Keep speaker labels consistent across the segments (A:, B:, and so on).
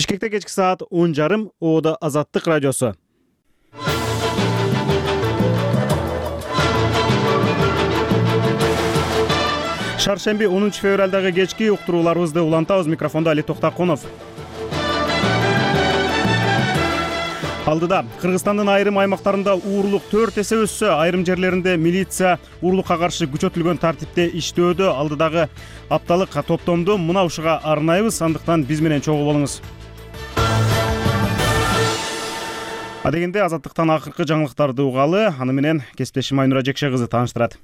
A: Бишкекте кечки саат 10:30 Оодо Азаттык радиосу. Шаршемби 10 февралдагы кечки уктурууларыбызды улантабыз. Микрофондо Али Токтакунов. Алдыда Кыргызстандын айрым аймактарында уурулук 4 эсе өссө, айрым жерлеринде милиция уурулукка каршы күчөтүлгөн тартипте иштөөдө. Алдыдагы апталык топтомду мына ушуга арнайбыз, андыктан биз менен чогуу болуңуз. Адегенде Азаттыктан акыркы жаңылыктарды угалы, аны менен кесиптешим Айнура Жекше кызы тааныштырат.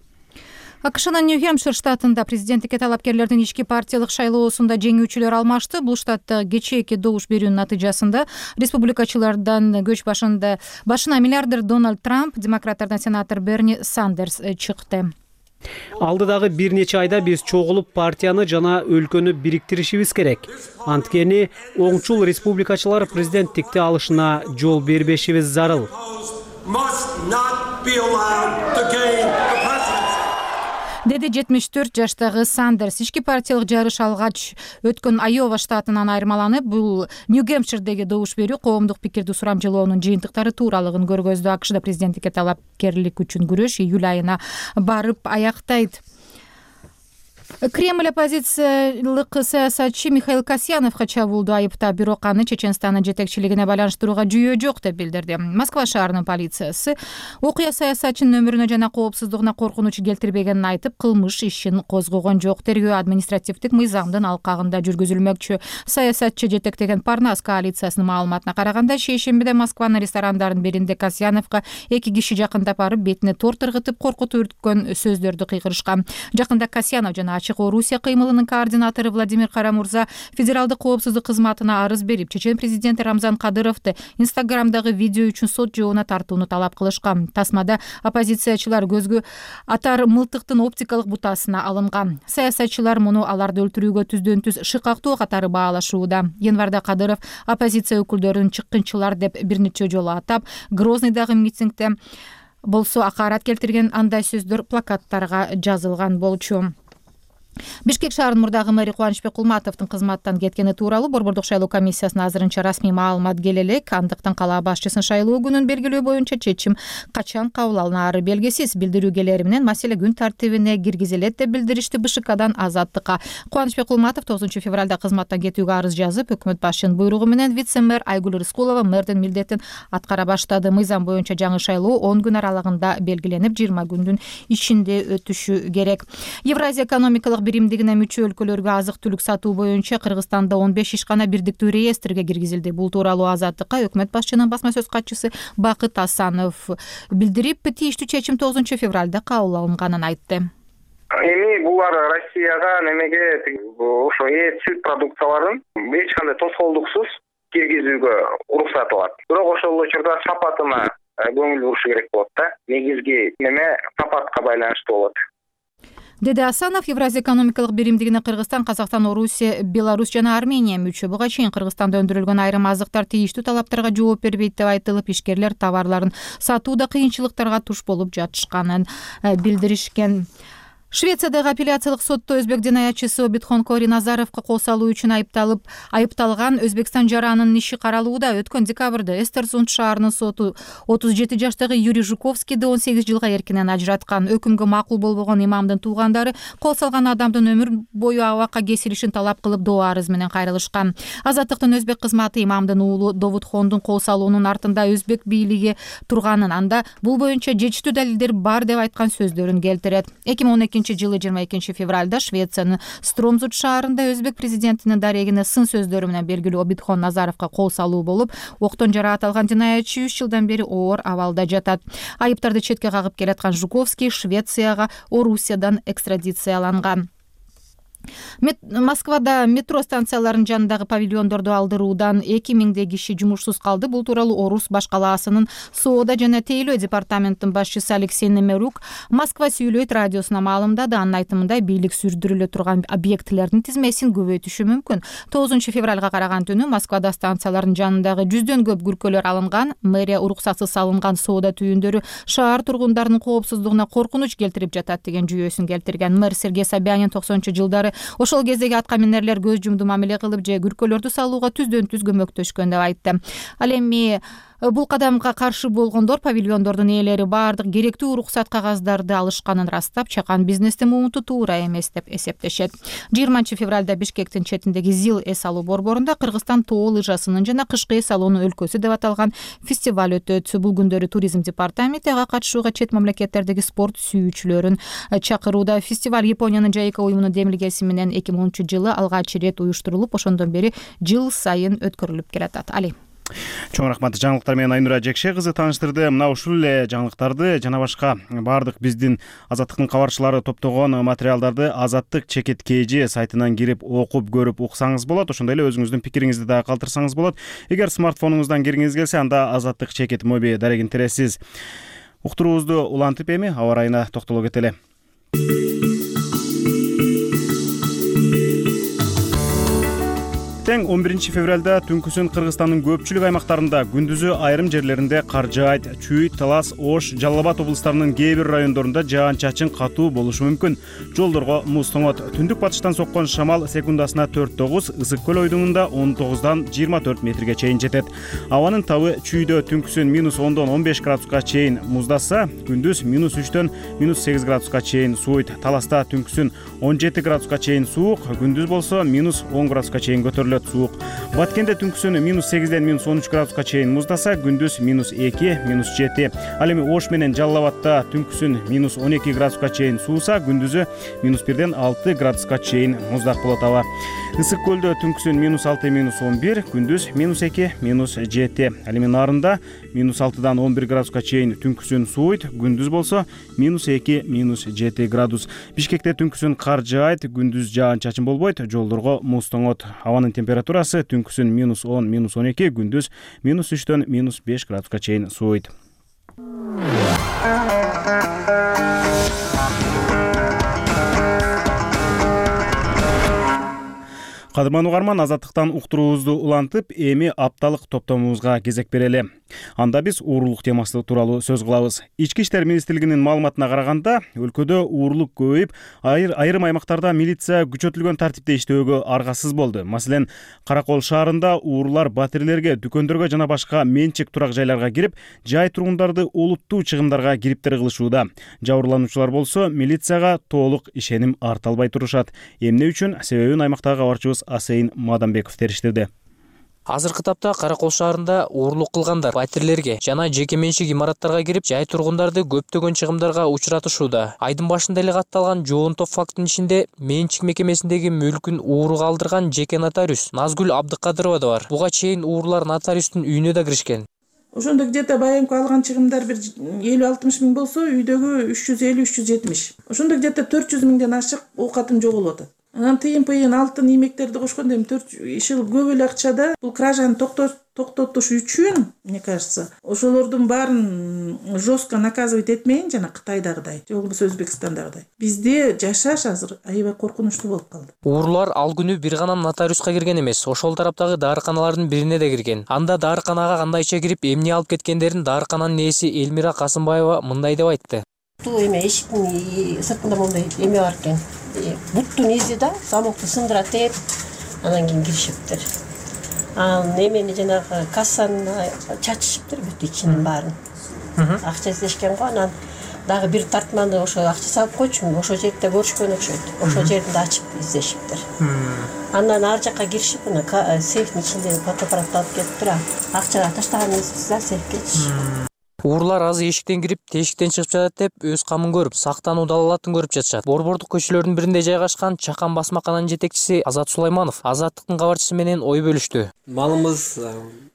B: АКШнын Нью-Хэмпшир штатында президенттикке талапкерлердин ички партиялык шайлоосунда жеңүүчүлөр алмашты. Бул штатта кечээки добуш берүүнүн натыйжасында республикачылардан көч башына миллиардер Дональд Трамп, демократтардан сенатор Берни Сандерс чыкты.
C: Алдыдагы бир нече айда биз чогулуп партияны жана өлкөнү бириктиришибиз керек. Анткени оңчул республикачылар президенттикти алышына жол бербешибиз зарыл.
B: Деди 74 жаштагы Сандерс. Ички партиялык жарыш алгач өткөн Айова штатынан айырмаланып, бул Нью-Гэмпширдеги добуш берүү коомдук пикирди сурамжылоонун жыйынтыктары тууралыгын көргөздү. АКШда президенттикке талапкерлик үчүн күрөш июль айына барып аяктайт. Кремль оппозициялык саясатчы Михаил Касьяновго чабуулду айыптап, бирок аны Чеченстандын жетекчилигине байланыштырууга жүйө жок деп билдирди. Москва шаарынын полициясы окуя саясатчынын өмүрүнө жана коопсуздугуна коркунуч келтирбегенин айтып, кылмыш ишин козгогон жок. Тергөө административдик мыйзамдын алкагында жүргүзүлмөкчү. Саясатчы жетектеген Парнас коалициясынын маалыматына караганда, шейшембиде Москванын ресторандарынын биринде Касьяновго 2 киши жакындап барып, бетине тор тыргытып, коркутуп үрткөн сөздөрдү кыйгырышкан. Жакында Касьянов жана Ачык Орусия кыймылынын координатору Владимир Карамурза федералдык коопсуздук кызматына арыз берип, Чечен президенти Рамзан Кадыровду Инстаграмдагы видео үчүн сот жообуна тартууну талап кылышкан. Тасмада оппозициячылар көзгө атар мылтыктын оптикалык бутасына алынган. Саясатчылар муну аларды өлтүрүүгө түздөн-түз шыкактоо катары баалашууда. Январда Кадыров оппозиция өкүлдөрүн чыккынчылар деп бир нече жолу атап, Грознойдагы митингде болсо акарат келтирген андай сөздөр плакаттарга жазылган болчу. Бишкек шаарынын мурдагы мэри Кубанычбек Кулматовдун кызматтан кеткени тууралуу Борбордук шайлоо комиссиясына азырынча расмий маалымат келе элек. Андыктан кала башчысын шайлоо күнүн белгилөө боюнча чечим качан кабыл алынары белгисиз. Билдирүүгелери менен маселе күн тартибине киргизилет деп билдиришти БШКдан Азаттыкка. Кубанычбек Кулматов 9 февралда кызматтан кетүүгө арыз жазып, өкмөт башчынын буйругу менен вице-мэр Айгүл Рыскулова мэрдин милдетин аткара баштады. Мыйзам боюнча жаңы шайлоо 10 күн аралыгында белгиленип, 20 күндүн ичинде өтүшү керек. Евразия экономикалык биримдигине мүчө өлкөлөргө азык-түлүк сатуу боюнча Кыргызстанда 15 ишкана бирдиктүү реестрге киргизилди. Бул тууралуу Азаттыкка өкмөт башчынын басма сөз катчысы Бакыт Асанов билдирип, тийиштүү чечим 9 февралда кабыл алынганын айтты.
D: Эми булар Россияга немеге ошо сүт продукцияларын эч кандай тоскоолдуксуз киргизүүгө уруксат алат. Бирок ошол учурда сапатына көңүл бурушу керек болот да. Негизги неме сапатка байланыштуу болот.
B: Деди Асанов. Евразия экономикалык биримдигине Кыргызстан, Казакстан, Орусия, Беларусь жана Армения мүчө. Буга чейин Кыргызстанда өндүрүлгөн айрым азыктар тийиштүү талаптарга жооп бербейт деп айтылып, ишкерлер товарларын сатууда кыйынчылыктарга туш болуп жатышканын билдиришкен. Швециядагы апелляциялык сотто өзбек динаятчысы Обидхон Кори Назаровго кол салуу үчүн айыпталган Өзбекстан жаранынын иши каралууда. Өткөн декабрда Эстерсунд шаарынын соту 37 жаштагы Юрий Жуковскийди 18 жылга эркинен ажыраткан. Өкүмгө макул болбогон имамдын туугандары кол салган адамдын өмүр бою абакка кесилишин талап кылып доо арыз менен кайрылышкан. Азаттыктын өзбек кызматы имамдын уулу Довудхондун кол салуунун артында өзбек бийлиги турганын, анда бул боюнча жетиштүү далилдер бар деп айткан сөздөрүн келтирет. 2012 жылы 22 февралда Швециянын Стромзут шаарында өзбек президентинин дарегине сын сөздөрү менен белгилүү Обидхон Назаровго кол салуу болуп, октон жараат алган динаятчы 3 жылдан бери оор абалда жатат. Айыптарды четке кагып келаткан Жуковский Швецияга Орусиядан экстрадицияланган. Москвада метро станцияларынын жанындагы павильондорду алдыруудан 2000 киши жумушсуз калды. Бул тууралуу Орус баш калаасынын соода жана тейлөө департаментинин башчысы Алексей Немерук Москва сүйлөйт радиосуна маалымдады. Анын айтымында бийлик сүрдүрүлө турган объектилердин тизмесин көбөйтүшү мүмкүн. 9 февралга караган түнү Москвада станциялардын жанындагы 100дөн көп күркөлөр алынган. Мэрия уруксатсыз салынган соода түйүндөрү шаар тургундарынын коопсуздугуна коркунуч келтирип жатат деген жүйөсүн келтирген. Мэр Сергей Собянин 90-жылдары Ошол кездеги атка минерлер көз жумду мамиле кылып же күркөлөрдү салууга түздөн түз көмөктөшкөн деп айтты. Ал эми бул кадамга каршы болгондор павильондордун ээлери баардык керектүү уруксат кагаздарды алышканын ырастап, чакан бизнестин муунту туура эмес деп эсептешет. 20-февралда Бишкектин четиндеги ЗИЛ эс алуу борборунда Кыргызстан тоо лыжасынын жана кышкы эс алуунун өлкөсү деп аталган фестиваль өтөт. Бул күндөрү туризм департаменти ага катышууга чет мамлекеттердеги спорт сүйүүчүлөрүн чакырууда. Фестиваль Япониянын JICA уюмунун демилгеси менен 2010-жылы алгач ирет уюштурулуп, ошондон бери жыл сайын өткөрүлүп келатат. Али.
A: Чоң рахмат. Жаңылыктар менен Айнура Жекше кызы тааныштырды. Мына ушул эле жаңылыктарды жана башка баардык биздин Азаттыктын кабарчылары топтогон материалдарды Азаттык чекит KG сайтынан кирип окуп көрүп уксаңыз болот. Ошондой эле өзүңүздүн пикириңизди дагы калтырсаңыз болот. Эгер смартфонуңуздан киргиңиз келсе, анда Азаттык чекит моби дарегин тересиз. Уктуруубузду улантып эми аба ырайына токтоло кетели. Тең 11 февралда түнкүсүн Кыргызстандын көпчүлүк аймактарында, күндүзү айрым жерлеринде кар жаайт. Чүй, Талас, Ош, Жалал Абад облустарынын кээ бир райондорунда жаан-чачын катуу болушу мүмкүн. Жолдорго муз тоңот. Түндүк батыштан соккон шамал секундасына 4-9, Ысык көл ойдуңунда 19-дан 24 метрге чейин жетет. Абанын табы чүйдө түнкүсүн -10-дон 15 градуска чейин муздаса, күндүз -3-төн -8 градуска чейин сууйт. Таласта түнкүсүн 17 градуска чейин суук, күндүз болсо -10 градуска чейин көтөрүлөт. Суук. Баткенде түнкүсүн -8-ден -13 градуска чейин муздаса, күндүз -2, -7. Ал эми Ош менен Жалал Абадта түнкүсүн -12 градуска чейин сууса, күндүзү -1-ден 6 градуска чейин муздак болот аба. Ысык көлдө түнкүсүн -6, -11, күндүз -2, -7. Ал эми Нарында -6-дан 11 градуска чейин түнкүсүн сууйт, күндүз болсо -2, -7 градус. Бишкекте түнкүсүн кар жаайт, күндүз жаан-чачын болбойт, жолдорго муз тоңот. Абанын температурасы түнкүсүн -10, -12, күндүз -3-төн -5 градуска чейин сууйт. Кадырман угарман, Азаттыктан уктуруубузду улантып, эми апталык топтомубузга кезек берели. Анда биз уурулук темасы тууралуу сөз кылабыз. Ички иштер министрлигинин маалыматына караганда, өлкөдө уурулук көбөйүп, айрым аймактарда милиция күчөтүлгөн тартипте иштөөгө аргасыз болду. Маселен, Каракол шаарында уурулар батирлерге, дүкөндөргө жана башка менчик турак жайларга кирип, жай тургундарды олуттуу чыгымдарга кириптер кылышууда. Жабырлануучулар болсо милицияга толук ишеним арта албай турушат. Эмне үчүн? Себебин аймактагы кабарчыбыз Асейин Мадамбеков териштирди.
E: Азыркы тапта Каракол шаарында уурулук кылгандар батирлерге жана жеке менчик имараттарга кирип, жай тургундарды көптөгөн чыгымдарга учуратышууда. Айдын башында эле катталган жоонтоп фактынын ичинде менчик мекемесиндеги мүлкүн ууруга алдырган жеке нотариус Назгүл Абдыкадырова да бар. Буга чейин уурулар нотариустун үйүнө да киришкен.
F: Ошондо где-то байымкы алган чыгымдар бир 50-60 миң болсо, үйдөгү 350-370. Ошондо где-то 400 миңден ашык оокатым жоголуп атат. Анан тыйын алтын иймектерди кошкондо эми 4 жыл көп эле акчада бул кражаны токтотуш үчүн, мне кажется, ошолордун баарын жестко наказывать этмейин жана Кытайдагыдай, же болбосо Өзбекстандагыдай. Бизде жашаш азыр аябай коркунучтуу болуп калды.
E: Уурулар ал күнү бир гана нотариуска кирген эмес, ошол тараптагы дарыканалардын бирине да кирген. Анда дарыканага кандайча кирип, эмне алып кеткендерин дарыкананын ээси Элмира Касымбаева мындай деп айтты.
G: Бул эме эшиктин сыртында мондай эме бар экен. Буттун изи да, замокту сындыра тээп, анан кийин киришиптир. Эмени жанагы кассаны чачышыптыр бүт ичинин баарын. Акча издешкен го, анан дагы бир тартманы ошо акча салып койчу, ошол жерде көрүшкөн окшойт. Ошол жеринде ачып издешиптир. Андан ар жакка киришип, сейфтин ичиндеги фотоаппаратты алып келиптир. Акчага таштаганыңыз да сейфке чыгышат.
E: Уурулар азы эшиктен кирип, тешиктен чыгып жатат деп өз камын көрүп, сактануу далалатын көрүп жатышат. Борбордук көчөлөрдүн биринде жайгашкан Чакан басмакананын жетекчиси Азат Сулайманов Азаттыктын кабарчысы менен ой бөлүштү.
H: Малымыз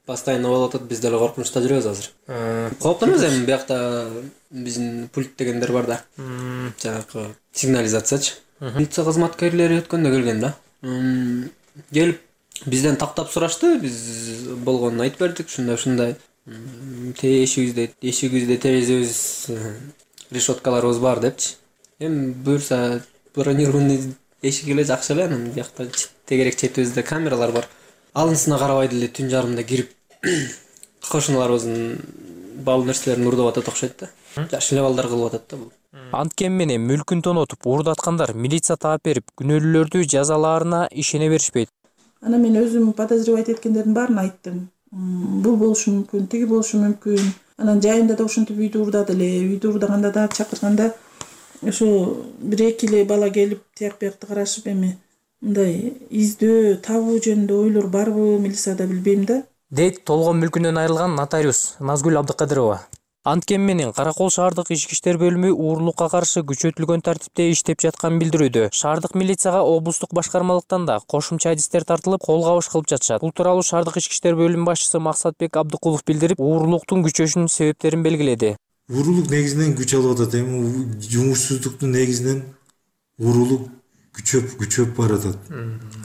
H: постоянно болуп атат, биз деле коркунучта жүрөбүз азыр. Коптонобуз эми биякта биздин пульт дегендер бар да. Жанагы сигнализациячы. Милиция кызматкерлери өткөндө келген да. Келип бизден таптап сурашты, биз болгонун айтып бердик, ушундай. Эшигибизде терезебиз, решеткаларыбыз бар депчи. Эми буюрса бронированный эшик эле жакшы эле, анан биякта тегерек четибизде камералар бар. Алынсына карабай деле түн жарымда кирип кошуналарыбыздын бал нерселерин урдап атат окшойт да. Жакшы эле балдар кылып атат да бул.
E: Анткени менен мүлкүн тонотуп уурдаткандар милиция таап берип, күнөөлүүлөрдү жазалаарына ишене беришпейт.
F: Анан мен өзүм подозревать эткендердин баарын айттым. Бул болушу мүмкүн, тиги болушу мүмкүн. Анан жайында да ошентип үйдү уурдады эле. Үйдү уурдаганда да чакырганда ошо 1-2 эле бала келип тияк биякты карашып эми мындай издөө, табуу жөнүндө ойлор барбы милицияда билбейм да.
E: Дейт толгон мүлкүнөн айрылган нотариус Назгүл Абдыкадырова. Анткени менен Каракол шаардык ички иштер бөлүмү уурулукка каршы күчөтүлгөн тартипте иштеп жатканын билдирүүдө. Шаардык милицияга облустук башкармалыктан да кошумча адистер тартылып, кол кабыш кылып жатышат. Бул тууралуу шаардык ички иштер бөлүмү башчысы Максатбек Абдыкулов билдирип, уурулуктун күчөшүнүн себептерин белгиледи.
I: Уурулук негизинен күч алып атат. Эми жумушсуздуктун негизинен уурулук күчөп баратат.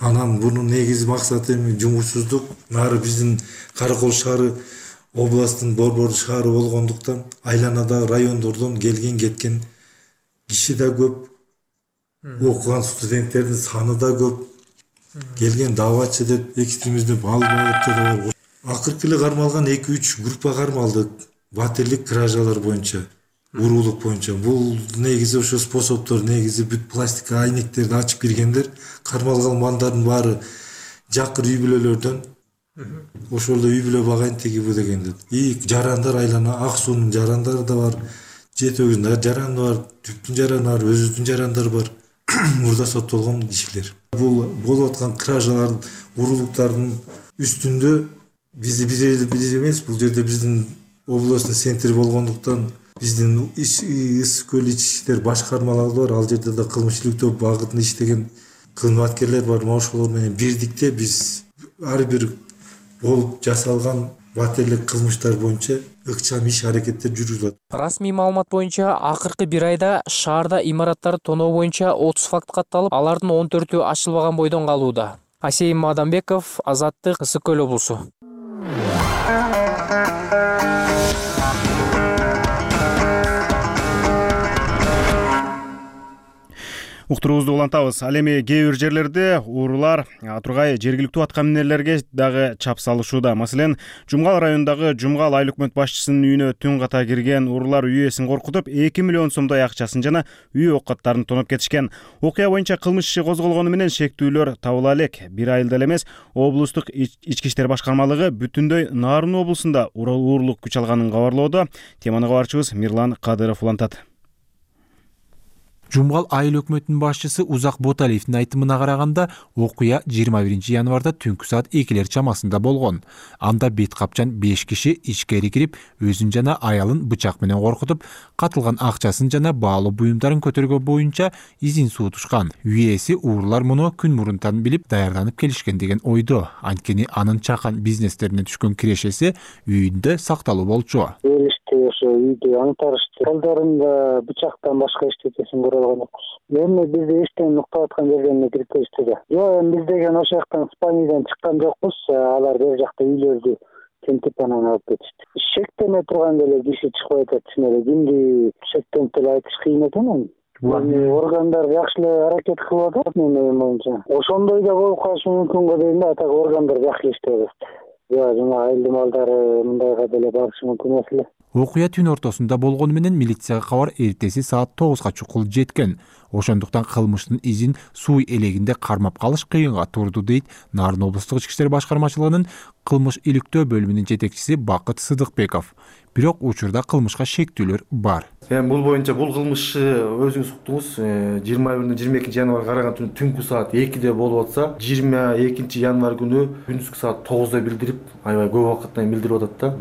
I: Анан бунун негизи максаты эми жумушсуздук. Нары биздин Каракол шаары областтын борбор шаары болгондуктан айланадагы райондордон келген кеткен киши да көп, окуган студенттердин саны да көп, келген даватчы деп, экстремист деп алып да бар. Акыркы эле кармалган 2-3 группа кармалдык. Батирлик кражалар боюнча, уурулук боюнча. Бул негизи ошо способдор, негизи бүт пластика айнектерди ачып киргендер. Кармалгандардын баары жакыр үй бүлөлөрдөн. Ошолдо үй бүлө багайын тиги бу дегендер. И жарандар айлана, Ак суунун жарандары да бар, Жети өгүздүн жараны бар, Түптүн жараны бар, өзүбүздүн жарандар бар. Мурда соттолгон кишилер. Бул болуп аткан кражалар, уурулуктардын үстүндө биз эмес, бул жерде биздин областын центри болгондуктан биздин Ысык көл ички иштер башкармалары бар. Ал жерде да кылмыш топ багытында иштеген кызматкерлер бар. Ошолор менен бирдикте биз ар бир болуп жасалган батирлик кылмыштар боюнча ыкчам иш аракеттер жүргүзүлөт.
E: Расмий маалымат боюнча акыркы 1 айда шаарда имараттарды тоноо боюнча 30 факт катталып, алардын 14-ü ачылбаган бойдон калууда. Асейим Мадамбеков, Азаттык, Ысык көл облусу.
A: Уктуруубузду улантабыз. Ал эми кээ бир жерлерде уурулар тургай жергиликтүү аткаминерлерге дагы чап салышууда. Маселен, Жумгал районундагы Жумгал айыл өкмөт башчысынын үйүнө түн ката кирген уурулар үй ээсин коркутуп, 2 миллион сомдой акчасын жана үй оокаттарын тоноп кетишкен. Окуя боюнча кылмыш иши козголгону менен шектүүлөр табыла элек. Бир айылда эле эмес, облустук ички иштер башкармалыгы бүтүндөй Нарын облусунда уурулук күч алганын кабарлоодо. Теманы кабарчыбыз Мирлан Кадыров улантат.
J: Жумгал айыл өкмөтүнүн башчысы Узак Боталиевдин айтымына караганда, окуя 21 январда түнкү саат 2 чамасында болгон. Анда бет капчан 5 киши ичкери кирип, өзүн жана аялын бычак менен коркутуп, катылган акчасын жана баалуу буюмдарын көтөргөн боюнча изин суутушкан. Үй ээси уурулар муну күн мурунтан билип даярданып келишкен деген ойдо. Анткени анын чакан бизнестерине түшкөн кирешеси үйүндө сакталуу болчу.
K: Ошо үйдү аңтарышты. Колдорунда бычактан башка эчтекесин көрө алган жокпуз. Эми бизди эчтен уктап аткан жерден кирип келишти да. Жок, эми биз деген ошол жактан Спаниядан чыккан жокпуз. Алар бер жакта үйлөрдү тентип анан алып кетишти. Шектене турган эле киши чыкпай атат. Чын кимди шектенип деле айтыш кыйын экен эми. Органдар жакшы эле аракет кылып атат менин оюм боюнча. Ошондой да болуп калышы мүмкүн го дейм да. Атак органдар жакшы иштей атат. Жана айылдын балдары мындайга деле барышы мүмкүн эмес эле.
J: Окуя түн ортосунда болгону менен милицияга кабар эртеси саат 9га чукул жеткен. Ошондуктан кылмыштын изин суу элегинде кармап калыш кыйынга турду дейт Нарын облустук ички иштер башкармачылыгынын кылмыш иликтөө бөлүмүнүн жетекчиси Бакыт Сыдыкбеков. Бирок учурда кылмышка шектүүлөр бар.
L: Бул боюнча бул кылмышты өзүңүз уктуңуз 21-22 январга караган түнкү саат 2де болуп атса, 22 январ күнү күндүзгү саат 9да билдирип, аябай көп убакыттан билдирип атат да.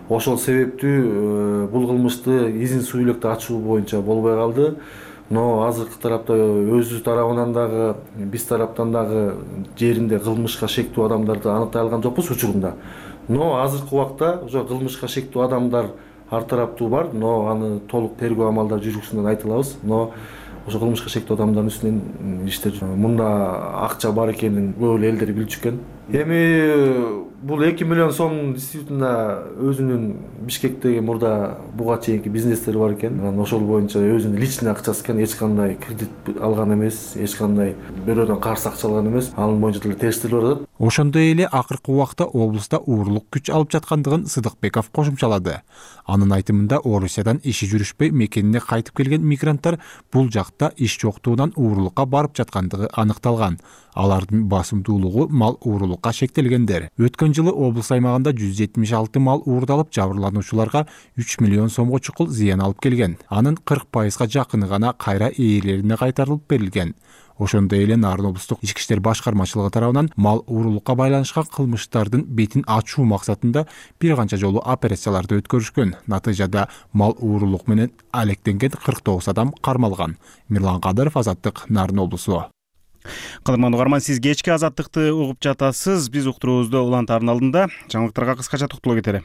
L: Ошол себептүү бул кылмышты изин суу электе ачуу боюнча болбой калды. Но азыркы тарапта өзү тарабынан дагы, биз тараптан дагы жеринде кылмышка шектүү адамдарды аныктай алган жокпуз учурунда. Но азыркы убакта ошо кылмышка шектүү адамдар ар тараптуу бар, но аны толук тергөө амалдары жүргүзүлгөнүн айта алабыз. Но ошо кылмышка шектүү адамдардын үстүнөн иштер мында акча бар экенин көп элдер билчү экен. Эми Бул 2 миллион сом действительно өзүнүн Бишкектеги мурда буга чейинки бизнестери бар экен. Анан ошол боюнча өзүнүн личный акчасы экен, эч кандай кредит алган эмес, эч кандай бирөөдөн карыз акча алган эмес. Анын боюнча деле териштирип атат.
J: Ошондой эле акыркы убакта облуста уурулук күч алып жаткандыгын Сыдыкбеков кошумчалады. Анын айтымында Орусиядан иши жүрүшпөй мекенине кайтып келген мигранттар бул жакта иш жоктугунан уурулукка барып жаткандыгы аныкталган. Алардын басымдуулугу мал уурулукка шектелгендер. Өткөн жылы облус аймагында 176 мал уурдалып, жабырлануучуларга 3 миллион сомго чукул зыян алып келген. Анын 40%га жакыны гана кайра ээлерине кайтарылып берилген. Ошондой эле Нарын облустук ички иштер башкармачылыгы тарабынан мал уурулукка байланышкан кылмыштардын бетин ачуу максатында бир канча жолу операцияларды өткөрүшкөн. Натыйжада мал уурулук менен алектенген 49 адам кармалган. Мирлан Кадыров, Азаттык, Нарын облусу.
A: Кадырман угарман, сиз кечки Азаттыкты угуп жатасыз. Биз уктуруубузду улантардын алдында жаңылыктарга кыскача токтоло кетели.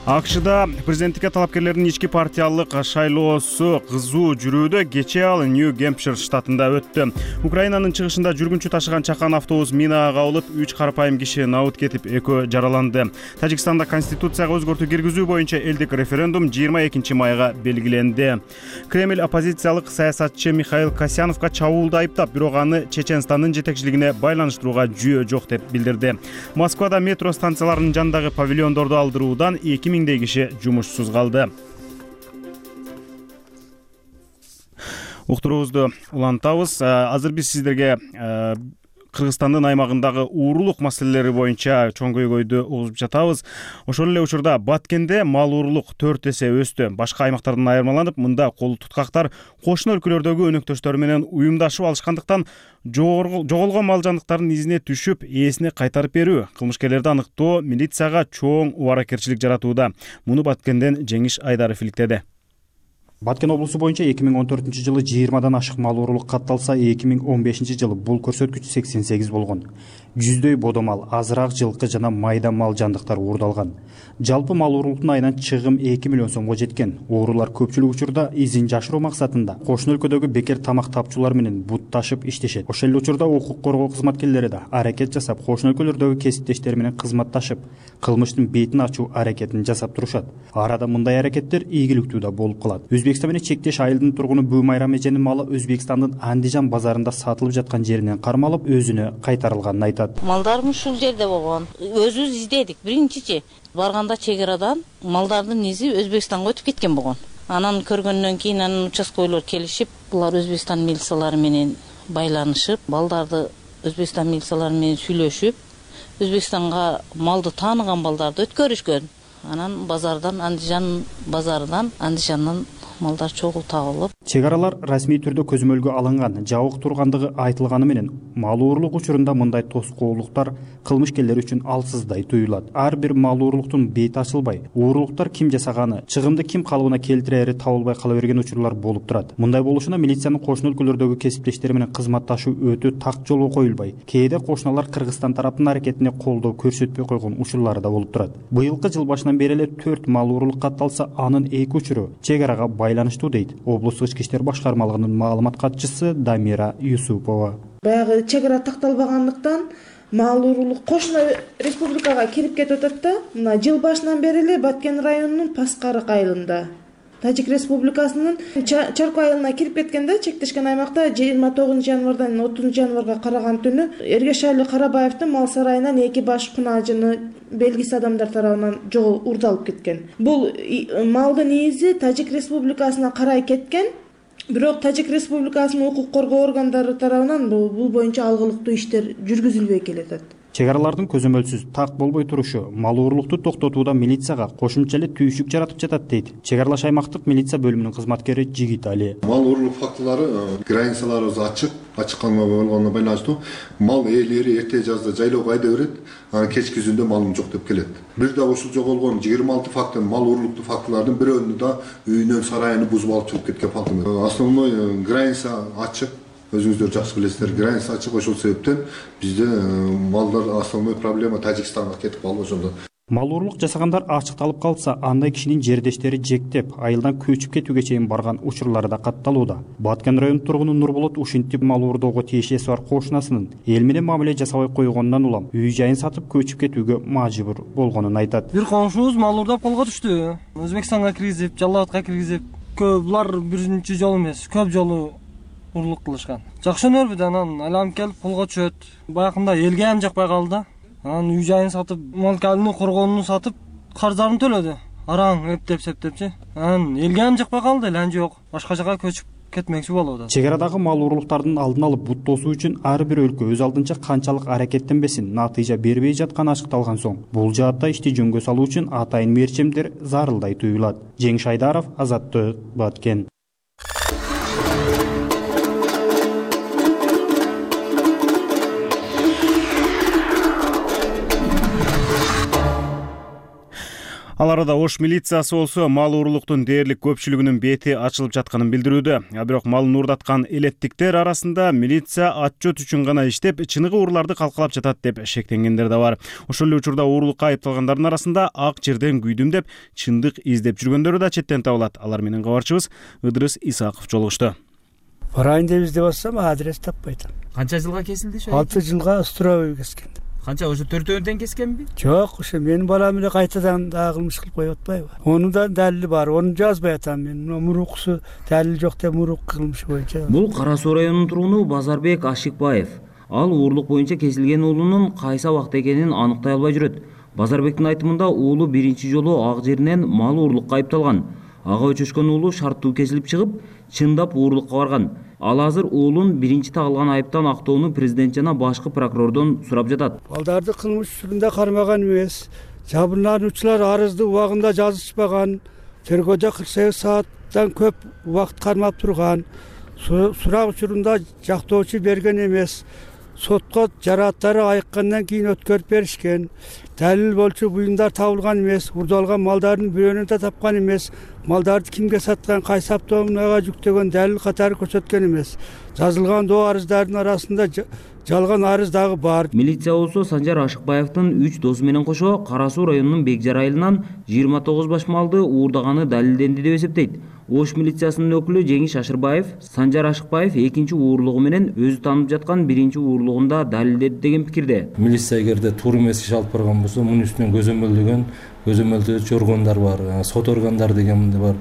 A: АКШда президенттикке талапкерлердин ички партиялык шайлоосу кызуу жүрүүдө. Кечээ ал Нью-Гэмпшир штатында өттү. Украинанын чыгышында жүргүнчү ташыган чакан автобус минага кабылып, 3 карапайым киши набыт кетип, 2 жараланды. Тажикстанда конституцияга өзгөртүү киргизүү боюнча элдик референдум 22 майга белгиленди. Кремль оппозициялык саясатчы Михаил Касьяновго чабуулду айыптап, бирок аны Чеченстандын жетекчилигине байланыштырууга жүйө жок деп билдирди. Москвада метро станцияларынын жанындагы павильондорду алдыруудан 2000 киши жумушсуз калды. Уктуруубузду улантабыз. Азыр биз сиздерге Кыргызстандын аймагындагы уурулук маселелери боюнча чоң көйгөйдү угузуп жатабыз. Ошол эле учурда Баткенде мал уурулук 4 эсе өстү. Башка аймактардан айырмаланып, мында кол туткактар кошуна өлкөлөрдөгү өнөктөштөрү менен уюмдашып алышкандыктан жоголгон мал жандыктардын изине түшүп, ээсине кайтарып берүү, кылмышкерлерди аныктоо милицияга чоң убаракерчилик жаратууда. Муну Баткенден Жеңиш Айдаров иликтеди.
M: Баткен облусу боюнча 2014-жылы 20дан ашык мал уурулук катталса, 2015-жылы бул көрсөткүч 88 болгон. Жүздөй бодо мал, азыраак жылкы жана майда мал жандыктар уурдалган. Жалпы мал уурулуктун айынан чыгым 2 миллион сомго жеткен. Уурулар көпчүлүк учурда изин жашыруу максатында кошуна өлкөдөгү бекер тамак тапчулар менен бут ташып иштешет. Ошол эле учурда укук коргоо кызматкерлери да аракет жасап, кошуна өлкөлөрдөгү кесиптештери менен кызматташып, кылмыштын бетин ачуу аракетин жасап турушат. Арада мындай аракеттер ийгиликтүү да болуп калат. Өзбекстан менен чектеш айылдын тургуну Бүймайрам эженин малы Өзбекстандын Андижан базарында сатылып жаткан жеринен кармалып, өзүнө кайтарылганын айтат.
N: Малдарым ушул жерде болгон. Өзүбүз издедик. Биринчичи барганда чек арадан малдардын изи Өзбекстанга өтүп кеткен болгон. Анан көргөндөн кийин анын участковыйлар келишип, булар Өзбекстан милициялары менен байланышып, балдарды Өзбекстан милициялары менен сүйлөшүп, Өзбекстанга малды тааныган балдарды өткөрүшкөн. Анан базардан, Андижан базарынан, Андижандан малдар чогуу табылып.
M: Чек аралар расмий түрдө көзөмөлгө алынган, жабык тургандыгы айтылганы менен мал уурулук учурунда мындай тоскоолдуктар кылмышкерлер үчүн алсыздай туюлат. Ар бир мал уурулуктун бети ачылбай, уурулуктар ким жасаганы, чыгымды ким калыбына келтирери табылбай кала берген учурлар болуп турат. Мындай болушуна милициянын кошуна өлкөлөрдөгү кесиптештери менен кызматташуу өтө так жолго коюлбай, кээде кошуналар Кыргызстан тараптын аракетине колдоо көрсөтпөй койгон учурлары да болуп турат. Быйылкы жыл башынан бери эле 4 мал уурулук катталса, анын 2 учуру чек арага байланыштуу дейт облустук ички иштер башкармалыгынын маалымат катчысы Дамира Юсупова.
F: Баягы чек ара такталбагандыктан мал уурулук кошуна республикага кирип кетип атат да. Мына жыл башынан бери эле Баткен районунун Паскарык айылында Тажик Республикасынын Чарко айылына кирип кеткенде чектешкен аймакта 29 январдан 30 январга караган түнү Эргешали Карабаевдин мал сарайынан 2 баш кунажыны белгисиз адамдар тарабынан уурдалып кеткен. Бул малдын изи Тажик Республикасына карай кеткен. Бирок Тажик Республикасынын укук коргоо органдары тарабынан бул боюнча алгылыктуу иштер жүргүзүлбөй келет.
M: Чек аралардын көзөмөлсүз так болбой турушу мал уурулукту токтотууда милицияга кошумча эле түйшүк жаратып жатат дейт чек аралаш аймактык милиция бөлүмүнүн кызматкери Жигит Али.
O: Мал уурулук фактылары границаларыбыз ачыкканга болгонуна байланыштуу мал ээлери эрте жазда жайлоого айда берет, анан кечки күндө малым жок деп келет. Бир да ушул жоголгон 26 фактын мал уурулуктуу фактылардын бирөөнү да үйүнөн сарайын бузуп алып чыгып кеткен факты. Основной граница ачык. Өзүңүздөр жакшы билесиздер, граница ачык, ошол себептен бизде малдар основной проблема Тажикстанга кетип калды ошондо.
M: Мал урурлук жасагандар ачыкталып калса, андай кишинин жердештери жектеп, айылдан көчүп кетүүгө чейин барган учурлары да катталууда. Баткен районунун тургуну Нурболот ушинтип мал уурдоого тиешеси бар кошунасынын эл менен мамиле жасабай койгонунан улам үй жайын сатып көчүп кетүүгө мажбур болгонун айтат.
P: Бир комшубуз мал уурдап колго түштү. Өзбекстанга киргизип, Жалал Абадка киргизип, булар биринчи жолу эмес, көп жолу урлук кылышкан. Жакшы өнөрбү, анан айланып келип колго түшөт. Баягында элге ham жакпай калды. Анан үй жайын сатып, мал калыны коргонуну сатып, карздарын төлөдү. Араң эптеп-септепчи. Анан элге ham жакпай калды, элен жок. Башка жака көчүп кетмекчи болууда.
M: Чек арадагы мал урурлуктардын алдын алып бут тосуу үчүн ар бир өлкө өз алдынча канчалык аракеттенбесин, натыйжа бербей жатканы ачыкталган соң, бул жаатта ишти жөнгө салуу үчүн атайын мерчемдер зарылдай туюлат. Жеңиш Айдаров, Азаттык, Баткен.
A: Ал арада Ош милициясы болсо мал уурулуктун дээрлик көпчүлүгүнүн бети ачылып жатканын билдирүүдө. Бирок малын уурдаткан элеттиктер арасында милиция отчет үчүн гана иштеп, чыныгы уурларды калкалап жатат деп шектенгендер да бар. Ошол эле учурда уурулукка айыпталгандардын арасында ак жерден күйдүм деп чындык издеп жүргөндөрү да четтен табылат. Алар менен кабарчыбыз Ыдырыс Исаков жолугушту.
Q: Барайын деп издеп атсам, адрес таппай атам.
R: Канча жылга кесилди ошо?
Q: 6 жылга строевый кескен.
R: Канча ошо төртөөнөн кескенби?
Q: Жок, ошо менин балам эле кайтадан дагы кылмыш кылып коюп атпайбы? Онун да далили бар, ону жазбай атам мен. Муруксу далил жок деп мурук кылмышы боюнча.
R: Бул Кара Суу районунун тургуну Базарбек Ашикбаев. Ал уурлук боюнча кесилген уулунун кайсы абакта экенин аныктай албай жүрөт. Базарбектин айтымында уулу биринчи жолу ак жеринен мал уурлукка айыпталган. Ага өчөшкөн уулу шарттуу кесилип чыгып, чындап уурлукка барган. Ал азыр уулун биринчи тагылган айыптан актоону президент жана башкы прокурордон сурап жатат.
Q: Балдарды кылмыш түрүндө кармаган эмес. Жабырлануучулар арызды убагында жазышпаган. Тергөөдө 48 сааттан көп убакыт кармап турган. Сурак учурунда жактоочу берген эмес. Сотко жарааттары айыккандан кийин өткөрүп беришкен. Далил болчу буюмдар табылган эмес. Урдалган малдардын бирөөнү да тапкан эмес. Малдарды кимге саткан, кайсы автоунаага жүктөгөн далил катары көрсөткөн эмес. Жазылган доо арыздардын арасында жалган арыз дагы бар.
R: Милиция болсо Санжар Ашыкбаевдин 3 досу менен кошо Кара Суу районунун Бекжар айылынан 29 баш малды уурдаганы далилденди деп эсептейт. Ош милициясынын өкүлү Жеңиш Ашырбаев Санжар Ашыкбаев экинчи уурлугу менен өзү таанып жаткан биринчи уурлугунда далилдеди деген пикирде.
S: Милиция эгерде туура эмес иш алып барган болсо, мунун үстүнөн көзөмөлдөөчү органдар бар, сот органдары деген бар.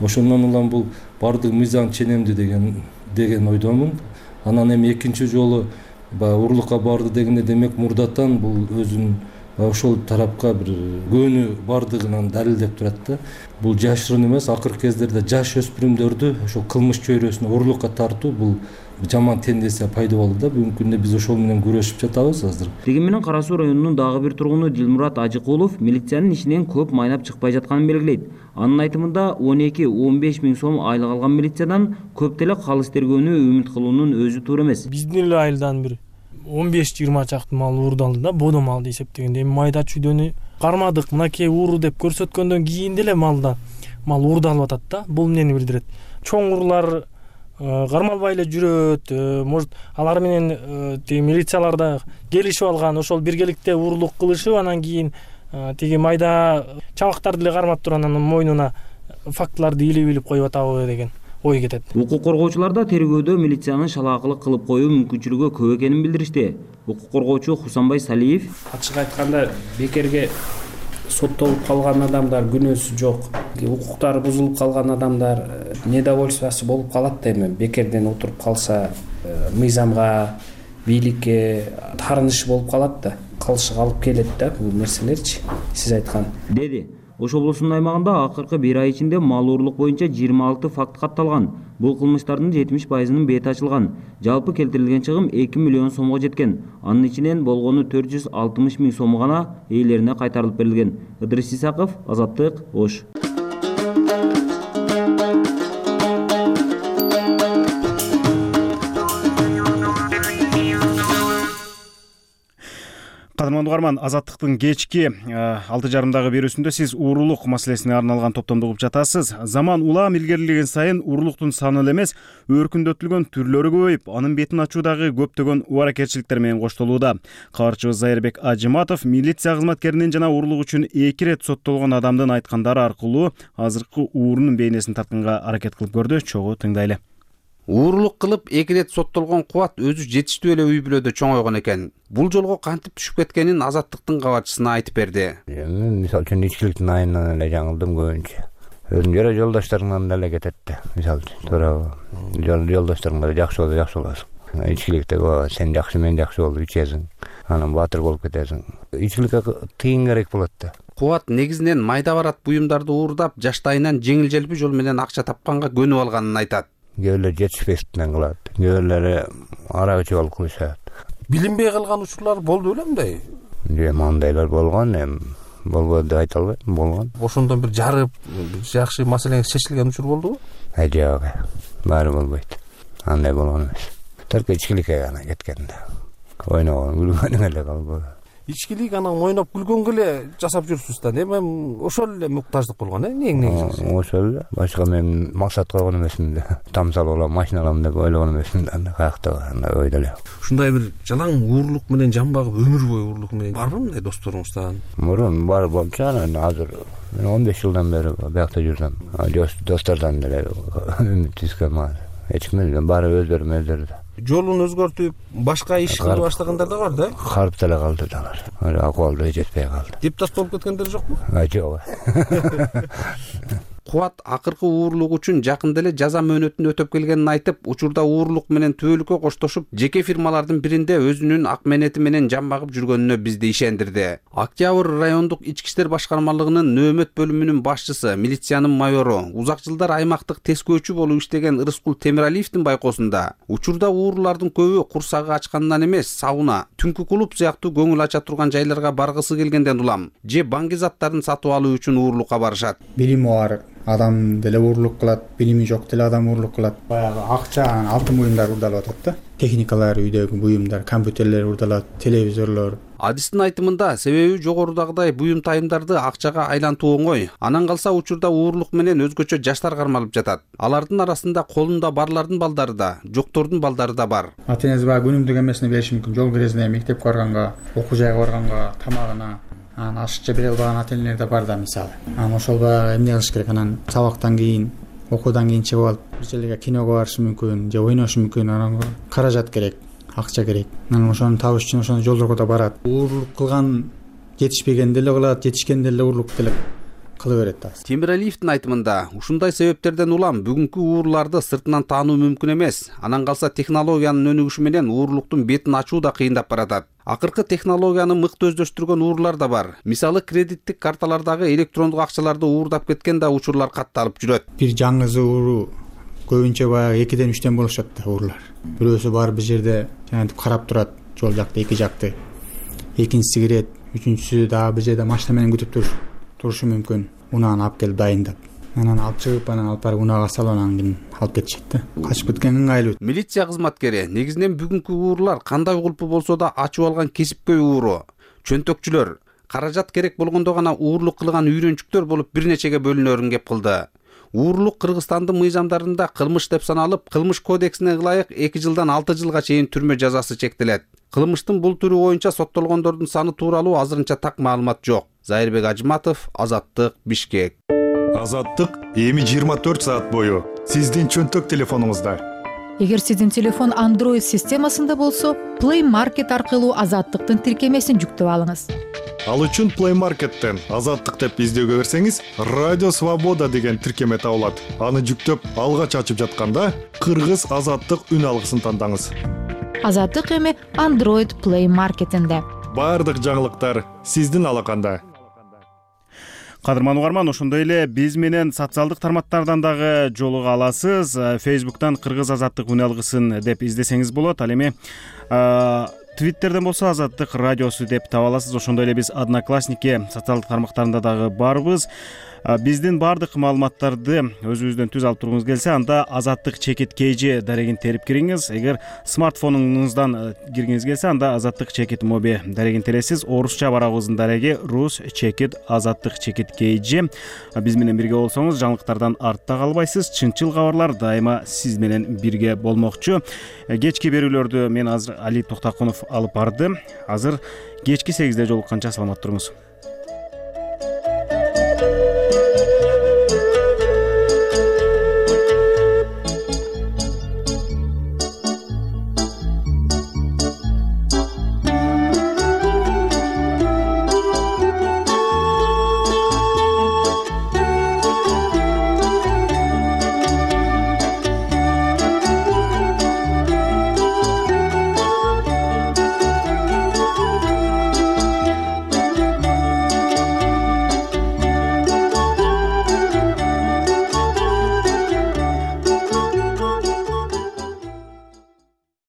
S: Ошондон улам бул бардык мыйзам ченемди деген ойдомун. Анан эми экинчи жолу урлукка барды дегенде демек мурдатан бул өзүнүн ошол тарапка бир көөнү бардыгынан далилдеп турат да. Бул жашырын эмес, акыркы кездерде жаш өспүрүмдөрдү ошол кылмыш чөйрөсүнө урлукка тартуу бул жаман тенденция пайда болду да. Бүгүнкү күндө биз ошол менен күрөшүп жатабыз азыр.
R: Деген менен Кара Суу районунун дагы бир тургуну Дилмурат Ажыкулов милициянын ишинен көп майнап чыкпай жатканын белгилейт. Анын айтымында 12-15 миң сом айлык алган милициядан көп деле калыс тергөөнү үмүт кылуунун өзү туура эмес.
P: Биздин эле айылдан бир 15-20 чакты мал уурдалды да, бодо малды эсептегенде. Эми майда чүйдөнү кармадык, мынакей ууру деп көрсөткөндөн кийин деле мал уурдалып атат да. Бул эмнени билдирет? Чоң уруулар кармалбай эле жүрөт, может алар менен милициялар да келишип алган, ошол биргеликте уурулук кылышып, анан кийин тиги майда чабактарды эле кармап туруп анан мойнуна фактыларды илип коюп атабы деген ой кетет.
R: Укук коргоочулар да тергөөдө милициянын шалаакылык кылып коюу мүмкүнчүлүгү көп экенин билдиришти. Укук коргоочу Хусанбай Салиев:
T: ачык айтканда бекерге соттолуп калган адамдар күнөөсү жок. Укуктары бузулуп калган адамдар недовольствосы болуп калат да, эми бекерден отуруп калса мыйзамга, бийликке таарыныш болуп калат да. Калышык алып келет да бул нерселерчи, сиз айткан.
R: Деди. Ош облусунун аймагында акыркы 1 ай ичинде мал уурлук боюнча 26 факт катталган. Бул кылмыштардын 70%-ынын бети ачылган. Жалпы келтирилген чыгым 2 миллион сомго жеткен. Анын ичинен болгону 460 миң сом гана ээлерине кайтарылып берилген. Ыдырыс Исаков, Азаттык, Ош.
A: Кадырман угарман, Азаттыктын кечки 6:30 берүүсүндө сиз уурулук маселесине арналган топтомду угуп жатасыз. Заман улам илгерилеген сайын уурулуктун саны эле эмес, өркүндөтүлгөн түрлөрү көбөйүп, анын бетин ачуудагы көптөгөн убаракетчиликтер менен коштолууда. Кабарчыбыз Зайырбек Ажыматов милиция кызматкеринин жана уурулук үчүн 2 рет соттолгон адамдын айткандары аркылуу азыркы уурунун бейнесин тартканга аракет кылып көрдү. Чогуу тыңдайлы.
U: Уурулук кылып 2 рет соттолгон Кубат өзү жетиштүү эле үй бүлөдө чоңойгон экен. Бул жолго кантип түшүп кеткенин Азаттыктын кабарчысына айтып берди.
V: Мен мисалы үчүн ичкиликтин айынан эле жаңылдым көбүнчө. Өзүм жолдошторумдан деле кетет да. Мисалы үчүн туура жолдошторуңар жакшы боласың. Ичкиликте сен жакшы, мен жакшы болуп ичесиң. Анан баатыр болуп кетесиң. Ичкиликке тыйын керек болот да.
U: Кубат негизинен майда барат буюмдарды уурдап, жаштайынан жеңил-желпи жол менен акча тапканга көнүп алганын айтат.
V: Кээбирлер жетишпестиктен кылат, кээбирлери арак ичип алып коюшат.
W: Билинбей калган учурлар болду белемби?
V: Мындайлар болгон, болбоду деп айта албайм, болгон.
W: Ошондон бир жарып, жакшы маселеңиз чечилген учур болдубу?
V: Жок, баары болбойт. Андай болгон эмес. Только ичкиликке гана кеткен да. Ойногон, күлгөнүң эле калбы.
W: Ичкилик анан ойноп күлгөнгө эле жасап жүрсүз да. Эми ошол эле муктаждык болгон, негизи.
V: Ошол эле. Башка мен максат койгон эмесмин да. Тамсал алам, машина алам деп ойлогон эмесмин да. Каякта андай ойдо эле.
W: Ушундай бир жалаң уурлук менен жан багып, өмүр бою уурлук менен барбы мындай досторуңуздан?
V: Мурун бар болчу, анан азыр мен 15 жылдан бери биякта жүрсөм. Достордон деле үмүт үзгөм. Эч ким эле баары өздөрү.
W: Жолун өзгөртүп, башка иш кыла баштагандар да бар да?
V: Карып деле калды алар. Акыбалды жетпей калды.
W: Дептас болуп кеткендер жокпу?
V: Жок.
U: Кубат акыркы уурулук үчүн жакында эле жаза мөөнөтүн өтөп келгенин айтып, учурда уурулук менен түбөлүккө коштошуп, жеке фирмалардын биринде өзүнүн ак менети менен жан багып жүргөнүнө бизди ишендирди. Октябрь райондук ички иштер башкармалыгынын нөөмөт бөлүмүнүн башчысы, милициянын майору, узак жылдар аймактык тескөөчү болуп иштеген Ырыскул Темиралиевдин байкоосунда, учурда уурулардын көбү курсагы ачканынан эмес, сауна, түнкү клуб сыяктуу көңүл ача турган жайларга баргысы келгенден улам, же баңги заттарын сатып алуу үчүн уурулукка барышат.
X: Билими бар адам деле уурулук кылат, билими жок деле адам уурулук кылат. Баягы акча, алтын буюмдар уурдалып атат да. Техникалар, үйдөгү буюмдар, компьютерлер уурдалат, телевизорлор.
U: Адистин айтымында, себеби жогорудагыдай буюм тайымдарды акчага айлантуу оңой. Анан калса учурда уурулук менен өзгөчө жаштар кармалып жатат. Алардын арасында колунда барлардын балдары да, жоктордун балдары да бар.
X: Ата-энеси баягы күнүмдүк эмесине бериши мүмкүн. Жол киресине, мектепке барганга, окуу жайга барганга, тамагына. Анан ашыкча бере албаган ата-энелер да бар да мисалы. Анан ошол баягы эмне кылыш керек? Анан сабактан кийин, окуудан кийин чыгып алып, бир жерлерге киного барышы мүмкүн, же ойношу мүмкүн. Анан каражат керек, акча керек. Анан ошону табыш үчүн ошондой жолдорго да барат. Уурулук кылган жетишпеген деле кылат, жетишкен деле уурулук деле кыла берет да.
U: Темиралиевдин айтымында, ушундай себептерден улам бүгүнкү ууруларды сыртынан таануу мүмкүн эмес. Анан калса технологиянын өнүгүшү менен уурулуктун бетин ачуу да кыйындап баратат. Акыркы технологияны мыкты өздөштүргөн уурулар да бар. Мисалы, кредиттик карталардагы электрондук акчаларды уурдап кеткен да учурлар катталып жүрөт.
X: Бир жаңызы ууруу көбүнчө баягы 2ден 3тен болушат да уурулар. Бирөөсү бар бир жерде жанагынтип карап турат, жол жакты, эки жакты. Экинчиси кирет, үчүнчүсү дагы бир жерде машина менен күтүп турушу мүмкүн. Унааны алып келип дайындап. Анан алып чыгып, анан алып барып унаага салып, анан кийин алып кетишет да. Качып кеткен ыңгайлуу.
U: Милиция кызматкери негизинен бүгүнкү уурулар кандай кулпу болсо да ачып алган кесипкөй ууру, чөнтөкчүлөр, каражат керек болгондо гана уурулук кылган үйрөнчүктөр болуп бир нечеге бөлүнөрүн кеп кылды. Уурулук Кыргызстандын мыйзамдарында кылмыш деп саналып, кылмыш кодексине ылайык 2 жылдан 6 жылга чейин түрмө жазасы чектелет. Кылмыштын бул түрү боюнча соттолгондордун саны тууралуу азырынча так маалымат жок. Зайырбек Ажыматов, Азаттык, Бишкек.
Y: Азаттык эми 24 саат бою сиздин чөнтөк телефонуңузда.
B: Эгер сиздин телефон Android системасында болсо, Play Market аркылуу Азаттыктын тиркемесин жүктөп алыңыз.
Y: Ал үчүн Play Market'тен Азаттык деп издөөгө берсеңиз, Радио Свобода деген тиркеме табылат. Аны жүктөп, алгач ачып жатканда Кыргыз Азаттык үн алгысын тандаңыз.
B: Азаттык эми Android Play Market'инде.
Y: Бардык жаңылыктар сиздин алаканда.
A: Кадырман угарман, ошондой эле биз менен социалдык тармактардан дагы жолуга аласыз. Facebook'тан Кыргыз Азаттык үн алгысын деп издесеңиз болот. Ал эми Твиттерден болсо Азаттык радиосу деп таба аласыз. Ошондой эле биз Одноклассники социалдык тармактарында дагы барбыз. Биздин баардык маалыматтарды өзүбүздөн түз алып тургуңуз келсе, анда Азаттык чекит KG дарегин терип кириңиз. Эгер смартфонуңуздан киргиңиз келсе, анда Азаттык чекит моби дарегин тересиз. Орусча барабыздын дареги Rus чекит Азаттык чекит KG. Биз менен бирге болсоңуз, жаңылыктардан артта калбайсыз. Чынчыл кабарлар дайыма сиз менен бирге болмокчу. Кечки берүүлөрдү мен азыр Али Токтокунов алып барды. Азыр кечки 8-де жолукканча саламат туруңуз.